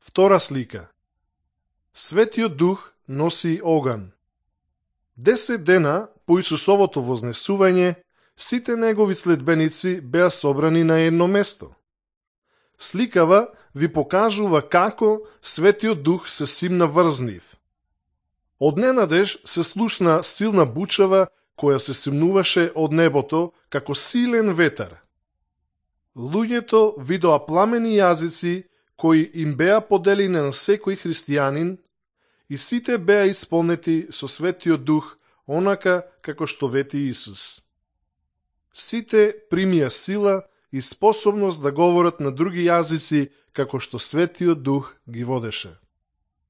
Втора слика. Светиот Дух носи оган. 10 дена по Исусовото вознесување, сите негови следбеници беа собрани на едно место. Сликава ви покажува како Светиот Дух се симна врз нив. Одненадеж се слушна силна бучава која се симнуваше од небото како силен ветар. Луѓето видоа пламени јазици кои им беа поделени на секој христијанин и сите беа исполнети со Светиот Дух, онака како што вети Исус. Сите примија сила и способност да говорат на други јазици како што Светиот Дух ги водеше.